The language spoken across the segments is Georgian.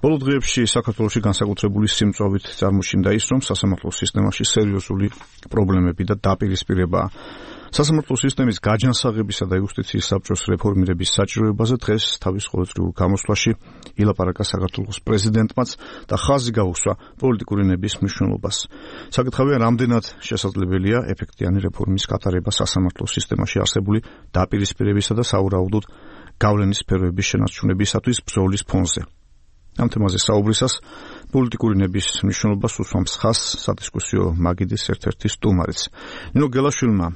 ბოლო დღეებში საქართველოში განსაკუთრებული სიმწვავით წარმოჩნდა ის, რომ სასამართლო სისტემაში სერიოზული პრობლემები და დაპირისპირებაა. სასამართლო სისტემის გაჯანსაღებისა და იუსტიციის საბჭოს რეფორმირების საჭიროებაზე დღეს თავის ყოველდღიურ გამოსვლაში ილაპარაკა საქართველოს პრეზიდენტმაც და ხაზი გაუსვა პოლიტიკური ნების მნიშვნელობას. საკითხავია, რამდენად შესაძლებელია ეფექტიანი რეფორმის გატარება სასამართლო სისტემაში არსებული დაპირისპირებისა და სავარაუდოდ გავლენის სფეროების შენარჩუნებისათვის ბრძოლის ფონზე. ამ თემაზე საუბრისას პოლიტიკური ნების მნიშვნელობას უსვამს ხაზს სადისკუსიო მაგიდის ერთ-ერთი სტუმარიც. ნინო გელაშვილმა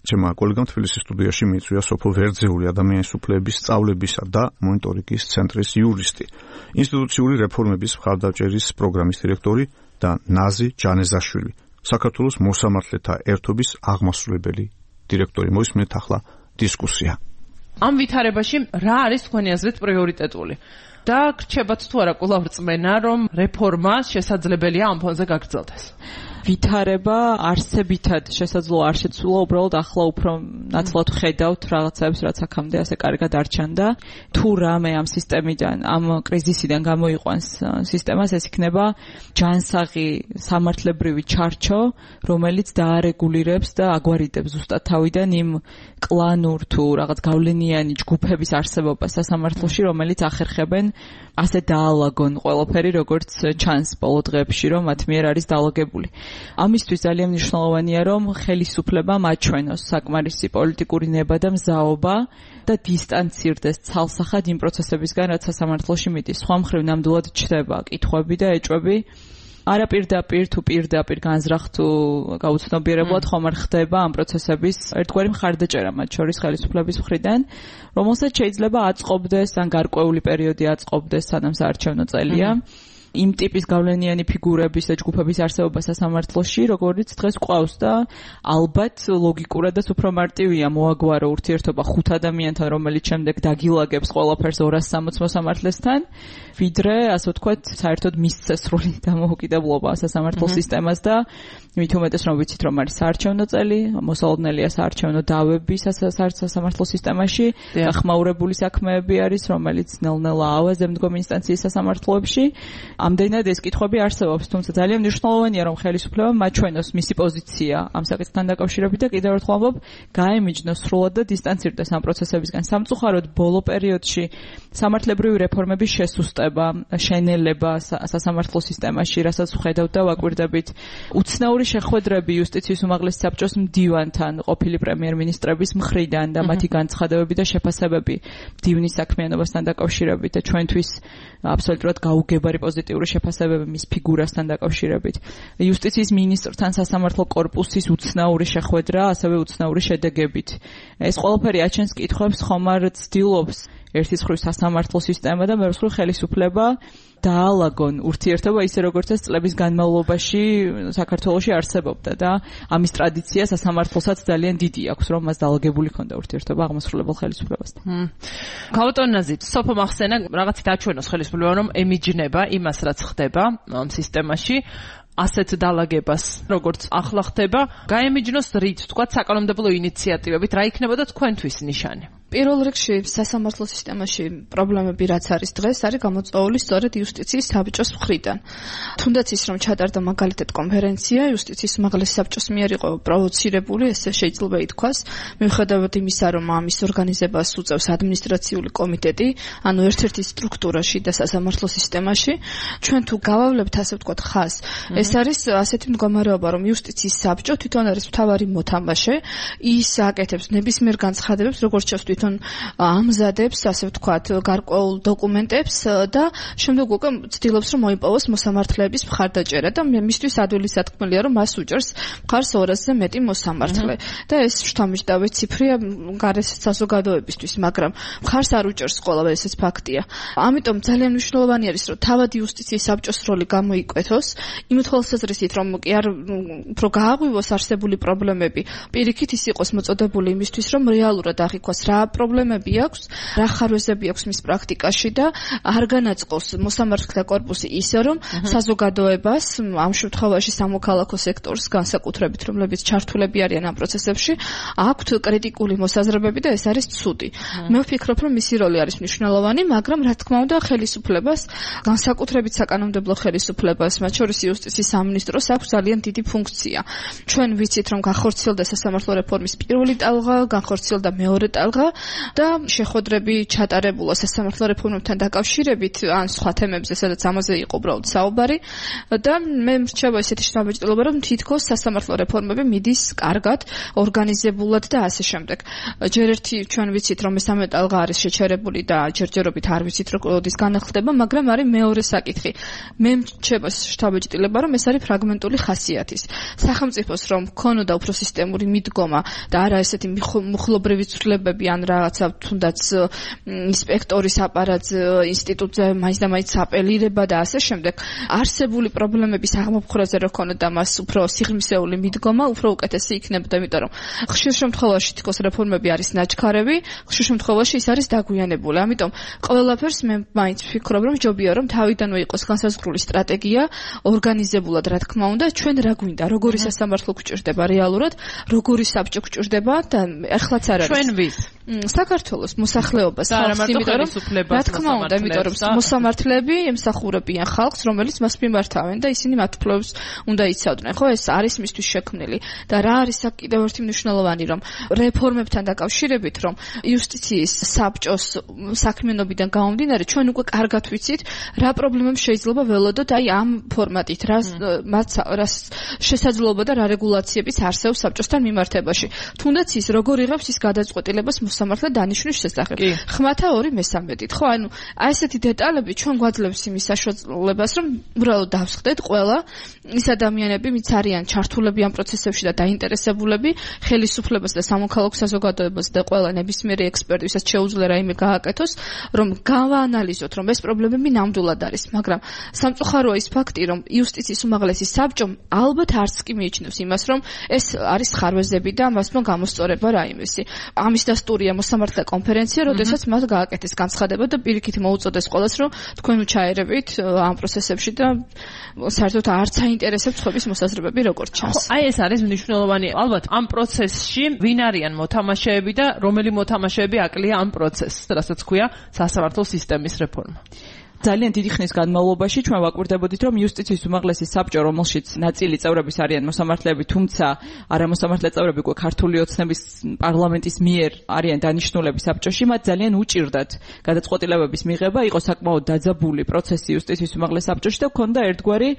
ჩემმა კოლეგამ თბილისის სტუდიაში მიიწვია სოფო ვერძეული ადამიანის უფლებების სწავლებისა და მონიტორინგის ცენტრის იურისტი, ინსტიტუციური რეფორმების მხარდაჭერის პროგრამის დირექტორი და ნაზი ჯანეზაშვილი, საქართველოს მოსამართლეთა ერთობის აღმასრულებელი დირექტორი. მოისმენთ ახლა დისკუსია. ამ ვითარებაში რა არის თქვენი აზრით პრიორიტეტული? და გრჩებათ თუ არა კვლავ რწმენა, რომ რეფორმა შესაძლებელია ამ ფონზე გაგრძელდეს? ვითარება არსებითად შესაძლოა არ შეცვლა, უბრალოდ ახლა უფრო ნაცვლად ხედავთ რაღაცებს, რაც აქამდე ასე კარგად არ ჩანდა. თუ რამე ამ სისტემიდან, ამ კრიზისიდან გამოიყვანს სისტემას, ეს იქნება ჯანსაღი სამართლებრივი ჩარჩო, რომელიც დაარეგულირებს და აგვარიდებს ზუსტად თავიდან იმ კლანურ თუ რაღაც გავლენიანი ჯგუფების არსებობას სასამართლოში, რომელიც ახერხებენ ასე დაალაგონ ყველაფერი, როგორც ჩანს ბოლო დღეებში, რომ მათ მიერ არის დაალაგებული. ამისთვის ძალიან მნიშვნელოვანია, რომ ხელისუფლებამ აჩვენოს საკმარისი პოლიტიკური ნება და მზაობა და დისტანცირდეს ცალსახად იმ პროცესებისგან, რაც სასამართლოში მიდის. სხვა მხრივ ნამდვილად ჩდება კითხვები და ეჭვები. არა პირდაპირ თუ პირდაპირ განზრახ თუ გაუცნობიერებლად ხომ არ ხდება ამ პროცესების ერთგვარი მხარდაჭერა მათ შორის ხელისუფლების მხრიდან, რომელსაც შეიძლება აწყობდეს ან გარკვეული პერიოდი აწყობდეს, სანამ საარჩევნო წელია. იმ ტიპის გავლენიანი ფიგურების და ჯგუფების არსებობა სასამართლოში, როგორც დღეს გვყავს და ალბათ ლოგიკურადაც უფრო მარტივია მოაგვარო ურთიერთობა 5 ადამიანთან, რომელიც შემდეგ დაგილაგებს ყველაფერს 260 მოსამართლესთან, ვიდრე, ასე ვთქვათ, საერთოდ მისცე სრული დამოუკიდებლობა სასამართლო სისტემას და მით უმეტეს რომ ვიცით, რომ არის საარჩევნო წელი, მოსალოდნელია საარჩევნო დავები სასამართლო სისტემაში და ხმაურებული საქმეები არის, რომელიც ნელ-ნელა ავაზებს მდგომ ინსტანციის სასამართლოებში. ამდენად ეს კითხვები არსებობს, თუმცა ძალიან მნიშვნელოვანია, რომ ხელისუფლებამ აჩვენოს მისი პოზიცია ამ საკითხთან დაკავშირებით და კიდევ ერთხელ ამბობ, გაემიჯნოს სრულად და დისტანცირდეს ამ პროცესებისგან. სამწუხაროდ ბოლო პერიოდში სამართლებრივი რეფორმების შესუსტება, შენელება სასამართლო სისტემაში, რასაც ვხედავთ და ვაკვირდებით, უცნაური შეხვედრები იუსტიციის უმაღლესი საბჭოს მდივანთან, ყოფილი პრემიერ-მინისტრების მხრიდან და მათი განცხადებები და შეფასებები მდივნის საქმიანობასთან დაკავშირებით და ჩვენთვის აბსოლუტურად გაუგებარი პოზიტიური შეფასებები მის ფიგურასთან დაკავშირებით. იუსტიციის მინისტრთან სასამართლო კორპუსის უცნაური შეხვედრა, ასევე უცნაური შედეგებით. ეს ყველაფერი აჩენს კითხვებს, ხომ არ ცდილობს ერთის მხრივ სასამართლო სისტემა და მეორე მხრივ ხელისუფლება დაალაგონ ურთიერთობა ისე როგორც ეს წლების განმავლობაში საქართველოში არსებობდა და ამის ტრადიცია სასამართლოსაც ძალიან დიდი აქვს, რომ მას დაალაგებული ქონდა ურთიერთობა აღმასრულებელ ხელისუფლებასთან. გავუტონაზით, სოფო მახსენა რაღაცით აჩვენოს ხელისუფლება, რომ ემიჯნება იმას, რაც ხდება ამ სისტემაში, ასეთ დაალაგებას, როგორც ახლა ხდება, გაემიჯნოს რით, თქვათ, საკანონმდებლო ინიციატივებით, რა იქნებოდა თქვენთვის ნიშანი? პირველ რიგში სასამართლო სისტემაში პრობლემები რაც არის დღეს, არის გამოწვეული სწორედ იუსტიციის საბჭოს მხრიდან. თუნდაც ის რომ ჩატარდა მაგალითად კონფერენცია, იუსტიციის უმაღლესი საბჭოს მიერ იყო პროვოცირებული, ესე შეიძლება ითქვას, მიუხედავად იმისა, რომ ამის ორგანიზებას უწევს ადმინისტრაციული კომიტეტი, ანუ ერთ-ერთი სტრუქტურა შიდა სასამართლო სისტემაში, ჩვენ თუ გავავლებთ ასე ვთქვათ ხაზს, ეს არის ასეთი მდგომარეობა, რომ იუსტიციის საბჭო თვითონ არის მთავარი მოთამაშე, ის აკეთებს ნებისმიერ განცხადებებს, როგორც ჩანს თვითონ ამზადებს, ასე ვთქვათ, გარკვეულ დოკუმენტებს და შემდეგ უკვე ცდილობს, რომ მოიპოვოს მოსამართლეების მხარდაჭერა და მისთვის ადვილი სათქმელია, რომ მას უჭერს მხარს 200-ზე მეტი მოსამართლე. და ეს შთამბეჭდავი ციფრია გარეს საზოგადოებისთვის, მაგრამ მხარს არ უჭერს ყველა, ესეც ფაქტია. ამიტომ ძალიან მნიშვნელოვანი არის, რომ თავად იუსტიციის საბჭოს როლი გამოიკვეთოს, იმ თვალსაზრისით, რომ კი არ უფრო გააღვივოს არსებული პრობლემები, პირიქით ის იყოს მოწოდებული იმისთვის, რომ რეალურად აღიქვას რა პრობლემები აქვს, რა ხარვეზები აქვს მის პრაქტიკაში და არ განაწყობს მოსამართლეთა კორპუსი ისე, რომ საზოგადოებას, ამ შემთხვევაში სამოქალაქო სექტორს განსაკუთრებით, რომლებიც ჩართულები არიან ამ პროცესებში, აქვთ კრიტიკული მოსაზრებები და ეს არის ცუდი. მე ვფიქრობ, რომ მისი როლი არის მნიშვნელოვანი, მაგრამ რა თქმა უნდა, ხელისუფლებას, განსაკუთრებით საკანონმდებლო ხელისუფლებას, მათ შორის იუსტიციის სამინისტროს აქვს ძალიან დიდი ფუნქცია. ჩვენ ვიცით, რომ განხორციელდა სასამართლო რეფორმის პირველი ტალღა, განხორციელდა მეორე ტალღა და შეხვედრები ჩატარებულა სასამართლო რეფორმებთან დაკავშირებით ან სხვა თემებზე, სადაც ამაზე იყო უბრალოდ საუბარი და მე მრჩება ესეთი შთაბეჭდილება, რომ თითქოს სასამართლო რეფორმები მიდის კარგად, ორგანიზებულად და ასე შემდეგ. ჯერ ერთი ჩვენ ვიცით, რომ მესამე ტალღა არის შეჩერებული და ჯერჯერობით არ ვიცით, რომ კოდის განახლდება, მაგრამ არის მეორე საკითხი. მე მრჩება შთაბეჭდილება, რომ ეს არის ფრაგმენტული ხასიათის. სახელმწიფოს რომ ქონოდა უფრო სისტემური მიდგომა და არა ესეთი მუხლობრივი ცვლილებები ან რაღაცა თუნდაც ინსპექტორის აპარატზე, ინსტიტუტზე მაინც და მაინც აპელირება და ასე შემდეგ. არსებული პრობლემების აღმოფხვრაზე რო ქონოდა მას უფრო სიღრმისეული მიდგომა, უფრო უკეთესი იქნებოდა, იმიტომ რომ ხშირ შემთხვევაში თქოს რეფორმები არის ნაჩქარები, ხშირ შემთხვევაში ის არის დაგვიანებული. ამიტომ ყველაფერს მე მაინც ვფიქრობ, რომ ჯობია რომ თავიდანვე იყოს განსაზღვრული სტრატეგია, ორგანიზებულად რა თქმა უნდა, ჩვენ რა გვინდა, როგორი სასამართლო გვჭირდება რეალურად, როგორი საბჭო გვჭირდება და ახლაც არ არის. ჩვენ ვის? საქართველოს მოსახლეობას, იმიტომ რომ რა თქმა უნდა, იმიტომ რომ მოსამართლეები ემსახურებიან ხალხს, რომელიც მას მიმართავენ და ისინი მათ უფლებებს უნდა იცავდნენ. ხო, ეს არის მისთვის შექმნილი და რა არის კიდევ ერთი მნიშვნელოვანი, რომ რეფორმებთან დაკავშირებით, რომ იუსტიციის საბჭოს საქმიანობიდან გამომდინარე, ჩვენ უკვე კარგად ვიცით, რა პრობლემები შეიძლება ველოდოთ აი ამ ფორმატით, რა შესაძლებლობა და რა რეგულაციებიც არსებობს საბჭოსთან მიმართებაში. თუნდაც ის როგორ იღებს ის გადაწყვეტილებას მოსამართლე დანიშვნის შესახებ. ხმათა 2/3. ხო, ანუ აი ესეთი დეტალები ჩვენ გვაძლევს იმის საშუალებას, რომ უბრალოდ დავსხდეთ ყველა ის ადამიანები, ვინც არიან ჩართულები ამ პროცესებში და დაინტერესებულები, ხელისუფლებას და სამოქალაქო საზოგადოებას და ყველა ნებისმიერი ექსპერტი, ვისაც შეუძლია რაიმე გააკეთოს, რომ გავაანალიზოთ, რომ ეს პრობლემები ნამდვილად არის, მაგრამ სამწუხაროა ის ფაქტი, რომ იუსტიციის უმაღლესი საბჭომ ალბათ არც კი მიიჩნევს იმას, რომ ეს არის ხარვეზები და მას მო გამოსწორება რაიმესი. ამის დასტურია მოსამართლე კონფერენცია, როდესაც მას გააკეთეს განცხადება და პირიქით მოუწოდეს ყველას, რომ თქვენ უჩაერებით ამ პროცესებში და საერთოდ არც აინტერესებს ხობის მოსაზრებები როგორც ჩანს. აი ეს არის მნიშვნელოვანი. ალბათ ამ პროცესში ვინ არიან მოთამაშეები და რომელი მოთამაშეები აკლია ამ პროცესს, რასაც ქვია სასამართლო სისტემის რეფორმა. ძალიან დიდი ხნის განმავლობაში ჩვენ ვაკვირდებოდით, რომ იუსტიციის უმაღლესი საბჭო, რომელშიც ნაწილი წევრების არიან მოსამართლეები, თუმცა არამოსამართლე წევრები უკვე ქართული ოცნების პარლამენტის მიერ არიან დანიშნულები საბჭოში, მათ ძალიან უჭირდათ გადაწყვეტილებების მიღება, იყო საკმაოდ დაძაბული პროცესი იუსტიციის უმაღლეს საბჭოში და ჰქონდა ერთგვარი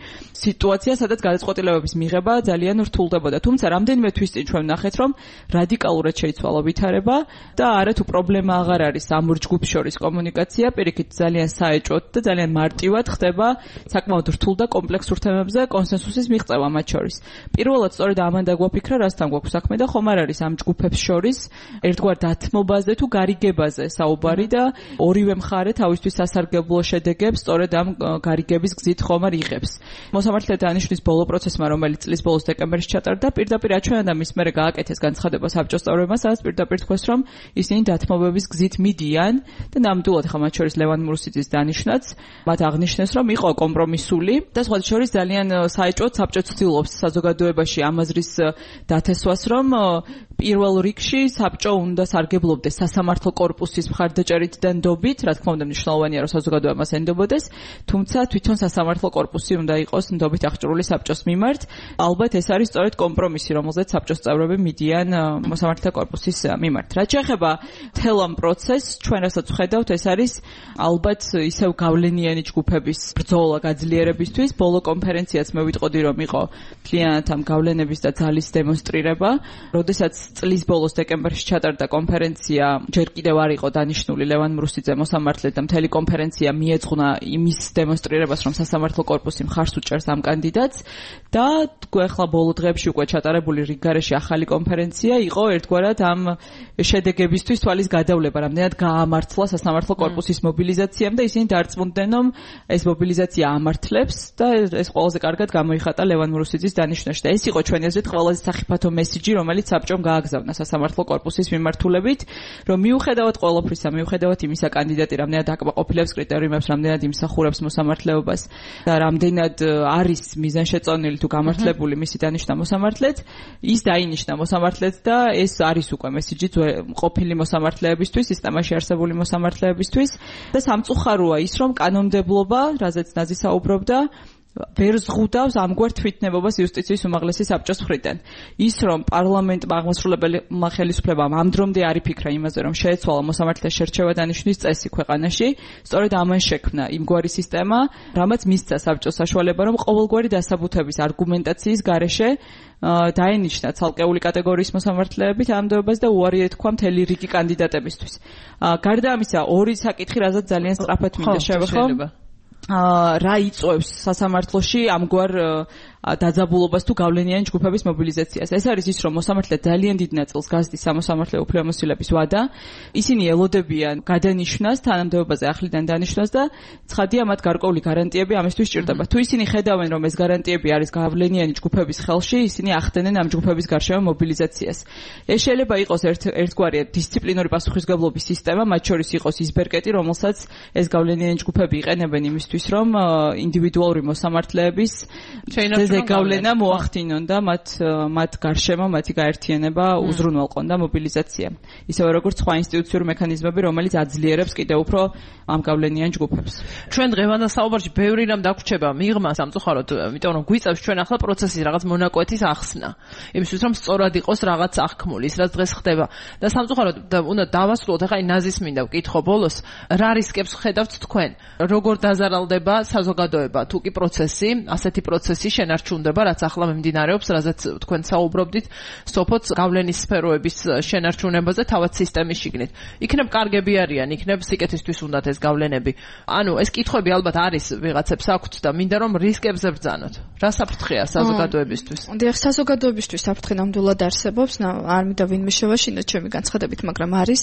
სიტუაცია, სადაც გადაწყვეტილებების მიღება ძალიან რთულდებოდა. თუმცა რამდენიმე თვის წინ ჩვენ ვნახეთ, რომ რადიკალურად შეიცვალა ვითარება და არათუ პრობლემა აღარ არის ამ ორ ჯგუფს შორის კომუნიკაცია, პირიქით ძალიან საეჭვოდ და ძალიან მარტივად ხდება საკმაოდ რთულ და კომპლექსურ თემებზე კონსენსუსის მიღწევა მათ შორის. პირველად სწორედ ამან დაგვაფიქრა, რასთან გვაქვს საქმე და ხომ არ არის ამ ჯგუფებს შორის ერთგვარ დათმობაზე თუ გარიგებაზე საუბარი და ორივე მხარე თავისთვის სასარგებლო შედეგებს სწორედ ამ გარიგების გზით ხომ არ იღებს. მოსამართლეთა დანიშვნის ბოლო პროცესმა, რომელიც წლის ბოლოს დეკემბერში ჩატარდა, პირდაპირ აჩვენა და მის მერე გააკეთეს განცხადება საბჭოს წევრებმა, სადაც პირდაპირ თქვეს, რომ ისინი დათმობების გზით მიდიან და ნამდვილად ხა მათ შორის ლევან მურუსიძის დანიშვნა მათ აღნიშნეს, რომ იყო კომპრომისული და სხვა შორის ძალიან საეჭვოდ საბჭო ცდილობს საზოგადოებაში ამ აზრის დათესვას, რომ პირველ რიგში საბჭო უნდა სარგებლობდეს სასამართლო კორპუსის მხარდაჭერით და ნდობით, რა თქმა უნდა მნიშვნელოვანია, რომ საზოგადოება მას ენდობოდეს, თუმცა თვითონ სასამართლო კორპუსი უნდა იყოს ნდობით აღჭურვილი საბჭოს მიმართ. ალბათ ეს არის სწორედ კომპრომისი, რომელზეც საბჭოს წევრები მიდიან მოსამართლეთა კორპუსის მიმართ. რაც შეეხება მთელ ამ პროცესს, ჩვენ რასაც ვხედავთ, ეს არის ალბათ ისევ გავლენიანი ჯგუფების ბრძოლა გაძლიერებისთვის. ბოლო კონფერენციაც მე ვიტყოდი, რომ იყო მთლიანად ამ გავლენების და ძალის დემონსტრირება, როდესაც წლის ბოლოს დეკემბერში ჩატარდა კონფერენცია, ჯერ კიდევ არ იყო დანიშნული ლევან მრუსიძე მოსამართლედ და მთელი კონფერენცია მიეძღვნა იმის დემონსტრირებას, რომ სასამართლო კორპუსი მხარს უჭერს ამ კანდიდატს და ახლა ბოლო დღეებში უკვე ჩატარებული რიგგარეში ახალი კონფერენცია იყო ერთგვარად ამ შედეგებისთვის თვალის გადავლება, რამდენად გაამართლა სასამართლო კორპუსის მობილიზაციამ და ისინი დარწმუნდნენ, რომ ეს მობილიზაცია ამართლებს და ეს ყველაზე კარგად გამოიხატა ლევან მურუსიძის დანიშვნაში და ეს იყო ჩვენი აზრით ყველაზე სახიფათო მესიჯი, რომელიც საბჭომ გააგზავნა სასამართლო კორპუსის მიმართულებით, რომ მიუხედავად ყველაფრისა, მიუხედავად იმისა, კანდიდატი რამდენად აკმაყოფილებს კრიტერიუმებს, რამდენად იმსახურებს მოსამართლეობას და რამდენად არის მიზანშეწონილი თუ გამართლებული მისი დანიშვნა მოსამართლეც, ის დაინიშნა მოსამართლეც და ეს არის უკვე მესიჯი ყოფილი მოსამართლეებისთვის, სისტემაში არსებული მოსამართლეებისთვის და სამწუხაროა ის, რომ კანონმდებლობა, რაზეც ნაზი საუბრობდა, ვერ ზღუდავს ამგვარ თვითნებობას იუსტიციის უმაღლესი საბჭოს მხრიდან. ის რომ პარლამენტმა აღმასრულებელმა ხელისუფლებამ ამ დრომდე არ იფიქრა იმაზე, რომ შეეცვალა მოსამართლეს შერჩევა დანიშვნის წესი ქვეყანაში, სწორედ ამან შექმნა იმგვარი სისტემა, რამაც მისცა საბჭოს საშუალება, რომ ყოველგვარი დასაბუთების არგუმენტაციის გარეშე დაენიშნა ცალკეული კატეგორიის მოსამართლეებით ამდეობას და უარი ეთქვა მთელი რიგი კანდიდატებისთვის. გარდა ამისა, ორი საკითხი, რაზეც ძალიან სწრაფად მინდა შევეხო. რა იწვევს სასამართლოში ამგვარ დაძაბულობას თუ გავლენიანი ჯგუფების მობილიზაციას. ეს არის ის, რომ მოსამართლე ძალიან დიდ ნაწილს გასდის სამოსამართლე უფლებამოსილების ვადა. ისინი ელოდებიან გადანიშვნას, თანამდებობაზე ახლიდან დანიშვნას და ცხადია მათ გარკვეული გარანტიები ამისთვის სჭირდება. თუ ისინი ხედავენ, რომ ეს გარანტიები არის გავლენიანი ჯგუფების ხელში, ისინი ახდენენ ამ ჯგუფების გარშემო მობილიზაციას. ეს შეიძლება იყოს ერთგვარი დისციპლინური პასუხისმგებლობის სისტემა, მათ შორის იყოს ის ბერკეტი, რომელსაც ეს გავლენიანი ჯგუფები იყენებენ იმისთვის, რომ ინდივიდუალური მოსამართლეების გავლენა მოახდინონ და მათ გარშემო მათი გაერთიანება უზრუნველყონ და მობილიზაცია. ისევე როგორც სხვა ინსტიტუციური მექანიზმები, რომელიც აძლიერებს კიდევ უფრო ამ გავლენიან ჯგუფებს. ჩვენ დღევანდელ საუბარში ბევრი რამ დაგვრჩება მიღმა სამწუხაროდ, იმიტომ რომ გვიწევს ჩვენ ახლა პროცესის რაღაც მონაკვეთის ახსნა. იმისთვის რომ სწორად იყოს რაღაც აღქმული, ის რაც დღეს ხდება. და სამწუხაროდ უნდა დავასრულოთ ახლა ნაზის მინდა ვკითხო ბოლოს, რა რისკებს ხედავთ თქვენ? როგორ დაზარალდება საზოგადოება თუ კი პროცესი, ასეთი პროცესი შენარჩუნდება, რაც ახლა მიმდინარეობს, რაზეც თქვენ საუბრობდით, სოფოც გავლენის სფეროების შენარჩუნებაზე თავად სისტემის შიგნით. იქნებ კარგები არიან, იქნებ სიკეთისთვის უნდათ ეს გავლენები. ანუ ეს კითხვები ალბათ არის ვიღაცებს აქვთ და მინდა რომ რისკებზე ბრძანოთ. რა საფრთხეა საზოგადოებისთვის? დიახ, საზოგადოებისთვის საფრთხე ნამდვილად არსებობს, არ მინდა ვინმე შევაშინოთ ჩემი განცხადებით, მაგრამ არის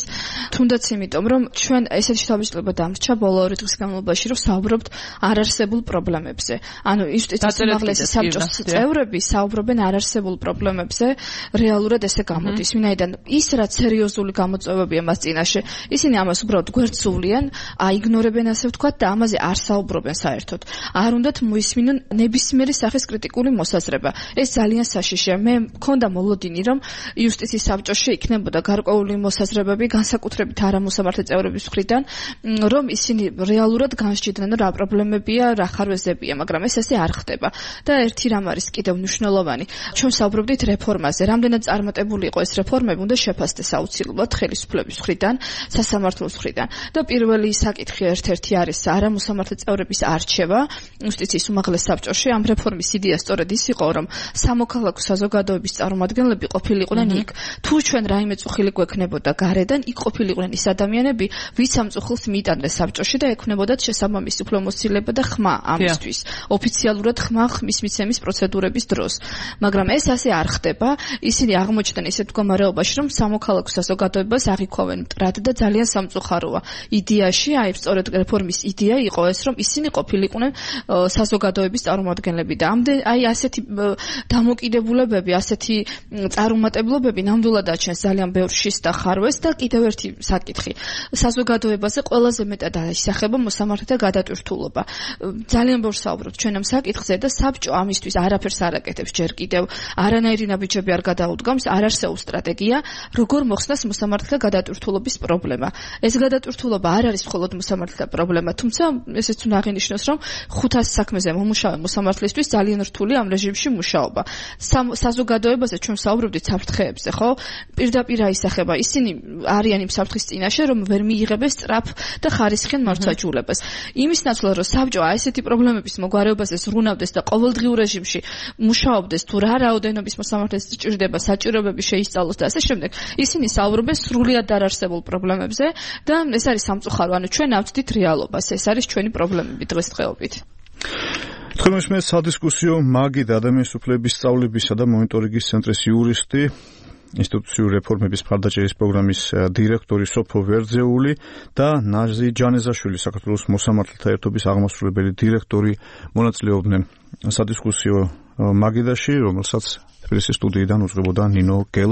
თუნდაც იმიტომ, რომ ჩვენ ესეთი თავისუფლება დამრჩა ბოლო 2 დღის განმავლობაში, რომ საუბრობთ არარსებულ პრობლემებზე. ანუ იუსტიციის უმაღლესი საბჭოს წევრები საუბრობენ არარსებულ პრობლემებზე, რეალურად ესე გამოდის. ვინაიდან ის რაც სერიოზული გამოწვევებია მას წინაშე, ისინი ამას უბრალოდ გვერდსუვლიან, აიგნორებენ ასე ვთქვათ და ამაზე არ საუბრობენ საერთოდ. არ უნდათ მოისმინონ ნებისმიერი სახის კრიტიკული მოსაზრება. ეს ძალიან საშიშია. მე მქონდა მოლოდინი, რომ იუსტიციის საბჭოში იქნებოდა გარკვეული მოსაზრებები, განსაკუთრებით არამოსამართლე წევრების მხრიდან, რომ ისინი რეალურად განსჯიდნენ, რა პრობლემებია, რა ხარვეზებია, მაგრამ ეს ასე არ ხდება. და ერთი რამ არის კიდევ მნიშვნელოვანი. ჩვენ საუბრობდით რეფორმაზე. რამდენად წარმატებული იყო ეს რეფორმები, უნდა შეფასდეს აუცილებლად ხელისუფლების მხრიდან, სასამართლოს მხრიდან. და პირველი საკითხი ერთ-ერთი არის არამოსამართლე წევრების არჩევა იუსტიციის უმაღლეს საბჭოში. ამ რეფორმის იდეა სწორედ ის იყო, რომ სამოქალაქო საზოგადოების წარმომადგენლები ყოფილიყვნენ იქ. თუ ჩვენ რაიმე წუხილი გვექნებოდა გარედან, იქ ყოფილიყვნენ ის ადამიანები, ვინც ამ წუხილს მიიტანდნენ საბჭოში და ექნებოდათ შესაბამისი უფლებამოსილება და ხმა ამისთვის. ოფიციალურად ხმა ხმის მიცემის პროცედურების დროს. მაგრამ ეს ასე არ ხდება. ისინი აღმოჩნდნენ ისეთ მდგომარეობაში, რომ სამოქალაქო საზოგადოებას აღიქვავენ მტრად და ძალიან სამწუხაროა. იდეაში, სწორედ რეფორმის იდეა იყო ეს, რომ ისინი ყოფილიყვნენ საზოგადოების წარმომადგენლები და ასეთი დამოკიდებულებები, ასეთი წარუმატებლობები ნამდვილად აჩენს ძალიან ბევრ შის და ხარვეს და კიდევ ერთი საკითხი. საზოგადოებაზე ყველაზე მეტად აისახება მოსამართლეთა გადატვირთულობა. ძალიან ბევრ საუბრობთ ჩვენ ამ საკითხზე და საბჭო ამისთვის არაფერს არ აკეთებს ჯერ კიდევ. არანაირი ნაბიჯები არ გადაუდგამს, არ არსებობს სტრატეგია, როგორ მოხსნას მოსამართლეთა გადატვირთულობის პრობლემა. ეს გადატვირთულობა არ არის მხოლოდ მოსამართლეთა პრობლემა, თუმცა ესეც უნდა აღინიშნოს, რომ 500 საქმეზე მომუშავე მოსამართლისთვის ძალიან რთული ამ რეჟიმში მუშაობა. საზოგადოებაზე ჩვენ საუბრობდით საფრთხეებზე, ხო? პირდაპირ აისახება. ისინი არიან იმ საფრთხის წინაშე, რომ ვერ მიიღებენ სწრაფ და ხარისხიან მართვაჯულებას. იმის ნაცვლად, რომ საბჭო ასეთი პრობლემების მოგვარებაზე ზრუნავდეს და ყოველდღიურ რეჟიმში მუშაობდეს, თუ რა რაოდენობის მოსამართლეს სჭირდება, საჭიროებები შეისწავლოს და ასე შემდეგ, ისინი საუბრობენ სრულიად არარსებულ პრობლემებზე და ეს არის სამწუხარო. ანუ ჩვენ ავწდით რეალობას. ეს არის ჩვენი პრობლემები დღესდღეობით. თქვენს მე სადისკუსიო მაგი და ადამიანის უფლებების სწავლებისა და მონიტორინგის ცენტრის იურისტი ინსტიტუციური რეფორმების მხარდაჭერის პროგრამის დირექტორი სოფო ვერძეული და ნაზი ჯანეზაშვილი, საქართველოს მოსამართლეთა ერთობის აღმასრულებელი დირექტორი მონაწილეობდნენ სადისკუსიო მაგიდაში, რომელსაც თბილისის სტუდიიდან უძღვებოდა ნინო გელა.